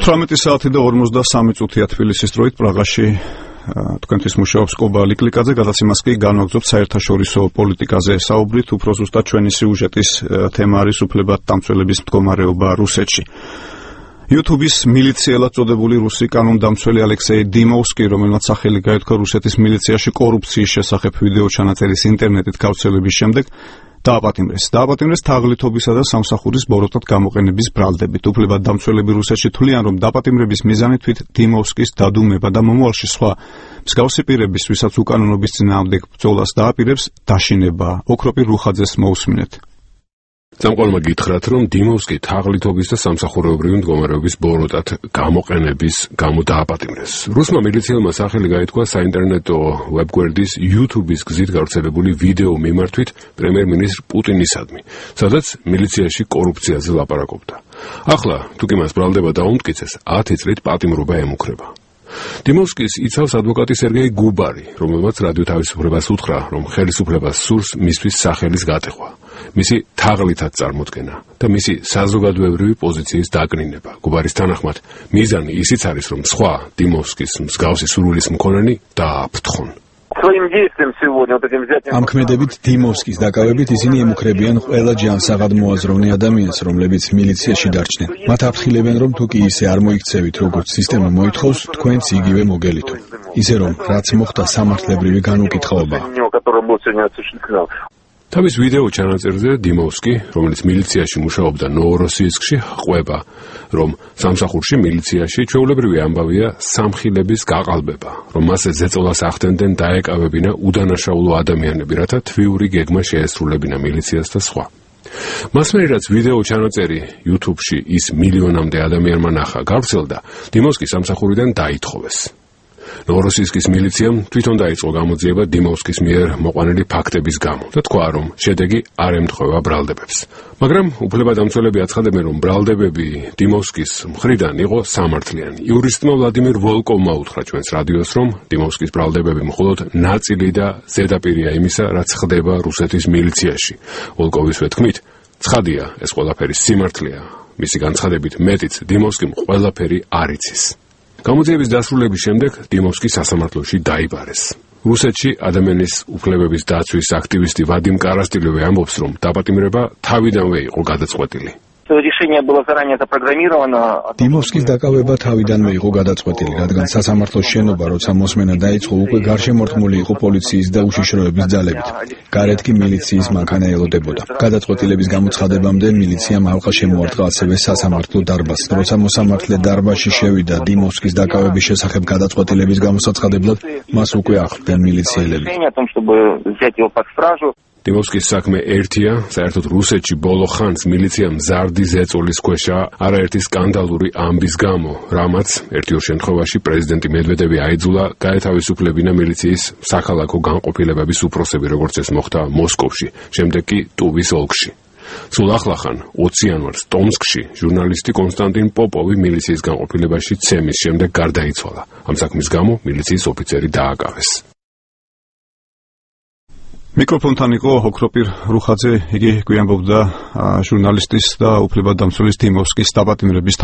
18 საათი და 53 წუთია თბილისის დროით პრაღაში თქვენთვის მუშაობს კობა ლიკლიკაძე, გადაც იმას კი განვაგრძობთ საერთაშორისო პოლიტიკაზე საუბრით, უფრო ზუსტად ჩვენი სიუჟეტის თემა არის უფლებადამცველების მდგომარეობა რუსეთში. YouTube-ის მილიციელად წოდებული რუსი კანონდამცველი ალექსეი დიმოვსკი, რომელმაც სახელი გაითქვა რუსეთის მილიციაში კორუფციის შესახებ ვიდეო ჩანაწერის ინტერნეტით გავრცელების შემდეგ, დააპატიმრეს თაღლითობისა და სამსახურის ბოროტად გამოყენების ბრალდებით. უფლებადამცველები რუსეთში თვლიან, რომ დაპატიმრების მიზანი თვით დიმოვსკის დადუმება და მომავალში სხვა მსგავსი პირების, ვისაც უკანონობის წინააღმდეგ ბრძოლას დააპირებს, დაშინება. ოქროპი რუხაძეს მოусმინეთ. სამყარომა გითხრათ, რომ დიმოვსკი თაღლითობის და სამსახურეობრივი მდგომარეობის ბოროტად გამოყენების გამო დააპატიმრეს. რუსმა მილიციელმა სახელი გაითქვა საინტერნეტო ვებგვერდის YouTube-ის გზით გავრცელებული ვიდეო მიმართვით პრემიერ-მინისტრ პუტინისადმი, სადაც მილიციაში კორუფციაზე ლაპარაკობდა. ახლა, თუ კი მას ბრალდება დაუმტკიცეს, 10 წლით პატიმრობა ემუქრება. დიმოვსკის იცავს ადვოკატი სერგეი გუბარი, რომელმაც რადიო თავისუფლებას უთხრა, რომ ხელისუფლებას სურს მისთვის სახელის გატეხვა. მისი თაღლითად წარმოდგენა და მისი საზოგადოებრივი პოზიციის დაკნინება. გუბარის თანახმად, მიზანი ისიც არის, რომ სხვა დიმოვსკის მსგავსი სურვილის მქონენი დააფრთხონ. ამ ქმედებით დიმოვსკის დაკავებით ისინი ემუქრებიან ყველა ჯანსაღად მოაზროვნე ადამიანს, რომლებიც მილიციაში დარჩნენ. მათ აფრთხილებენ, რომ თუ კი ისე არ მოიქცევით, როგორც სისტემა მოითხოვს, თქვენც იგივე მოგელითო. ისე რომ, რაც მოხდა სამართლებრივი განუკითხაობაა. თავის ვიდეო ჩანაწერზე დიმოვსკი, რომელიც მილიციაში მუშაობდა ნოვოროსიისკში, ყვება, რომ სამსახურში მილიციაში ჩვეულებრივი ამბავია სამხილების გაყალბება, რომ მასზე ზეწოლას ახდენდნენ დაეკავებინა უდანაშაულო ადამიანები, რათა თვიური გეგმა შეესრულებინა მილიციას და სხვა. მასმერი რაც ვიდეო ჩანაწერი YouTube-ში ის მილიონამდე ადამიანმა ნახა, გავრცელდა, დიმოვსკი სამსახურიდან დაითხოვეს. ნოვოროსიისკის მილიციამ თვითონ დაიწყო გამოძიება დიმოვსკის მიერ მოყვანილი ფაქტების გამო და თქვა, რომ შედეგი არ ემთხვევა ბრალდებებს. მაგრამ უფლებადამცველები აცხადებენ, რომ ბრალდებები დიმოვსკის მხრიდან იყო სამართლიანი. იურისტმა ვლადიმირ ვოლკოვმა უთხრა ჩვენს რადიოს, რომ დიმოვსკის ბრალდებები მხოლოდ ნაწილი და ზედაპირია იმისა, რაც ხდება რუსეთის მილიციაში. ვოლკოვისვე თქმით, ცხადია, ეს ყველაფერი სიმართლეა. მისი განცხადებით მეტიც დიმოვსკიმ ყველაფერი არ იცის. გამოძიების დასრულების შემდეგ დიმოვსკი სასამართლოში დაიბარეს. რუსეთში ადამიანის უფლებების დაცვის აქტივისტი ვადიმ კარასტილოვი ამბობს, რომ დაპატიმრება თავიდანვე იყო გადაწყვეტილი. დიმოვსკის დაკავება თავიდანვე იყო გადაწყვეტილი, რადგან სასამართლოს შენობა, როცა მოსმენა დაიწყო, უკვე გარშემორტყმული იყო პოლიციის და უშიშროების ძალებით. გარეთ კი მილიციის მანქანა ელოდებოდა. გადაწყვეტილების გამოცხადებამდე მილიციამ ალყა შემოარტყა ასევე სასამართლო დარბაზს. როცა მოსამართლე დარბაზში შევიდა დიმოვსკის დაკავების შესახებ გადაწყვეტილების გამოსაცხადებლად, მას უკვე ახლდნენ მილიციელები. დიმოვსკის საქმე ერთია, საერთოდ რუსეთში ბოლო ხანს მილიცია მზარდი ზეწოლის ქვეშაა არაერთი სკანდალური ამბის გამო, რამაც ერთ-ორ შემთხვევაში პრეზიდენტი მედვედევი აიძულა გაეთავისუფლებინა მილიციის საქალაქო განყოფილებების უფროსები, როგორც ეს მოხდა მოსკოვში, შემდეგ კი ტუვის ოლქში. სულ ახლახან 20 იანვარს ტომსკში ჟურნალისტი კონსტანტინ პოპოვი მილიციის განყოფილებაში ცემის შემდეგ გარდაიცვალა. ამ საქმის გამო მილიციის ოფიცერი დააკავეს. მიკროფონთან იყო ოქროპირ რუხაძე, იგი გვიანბობდა ჟურნალისტის და უფლებადამცველის დიმოვსკის დაპატიმრების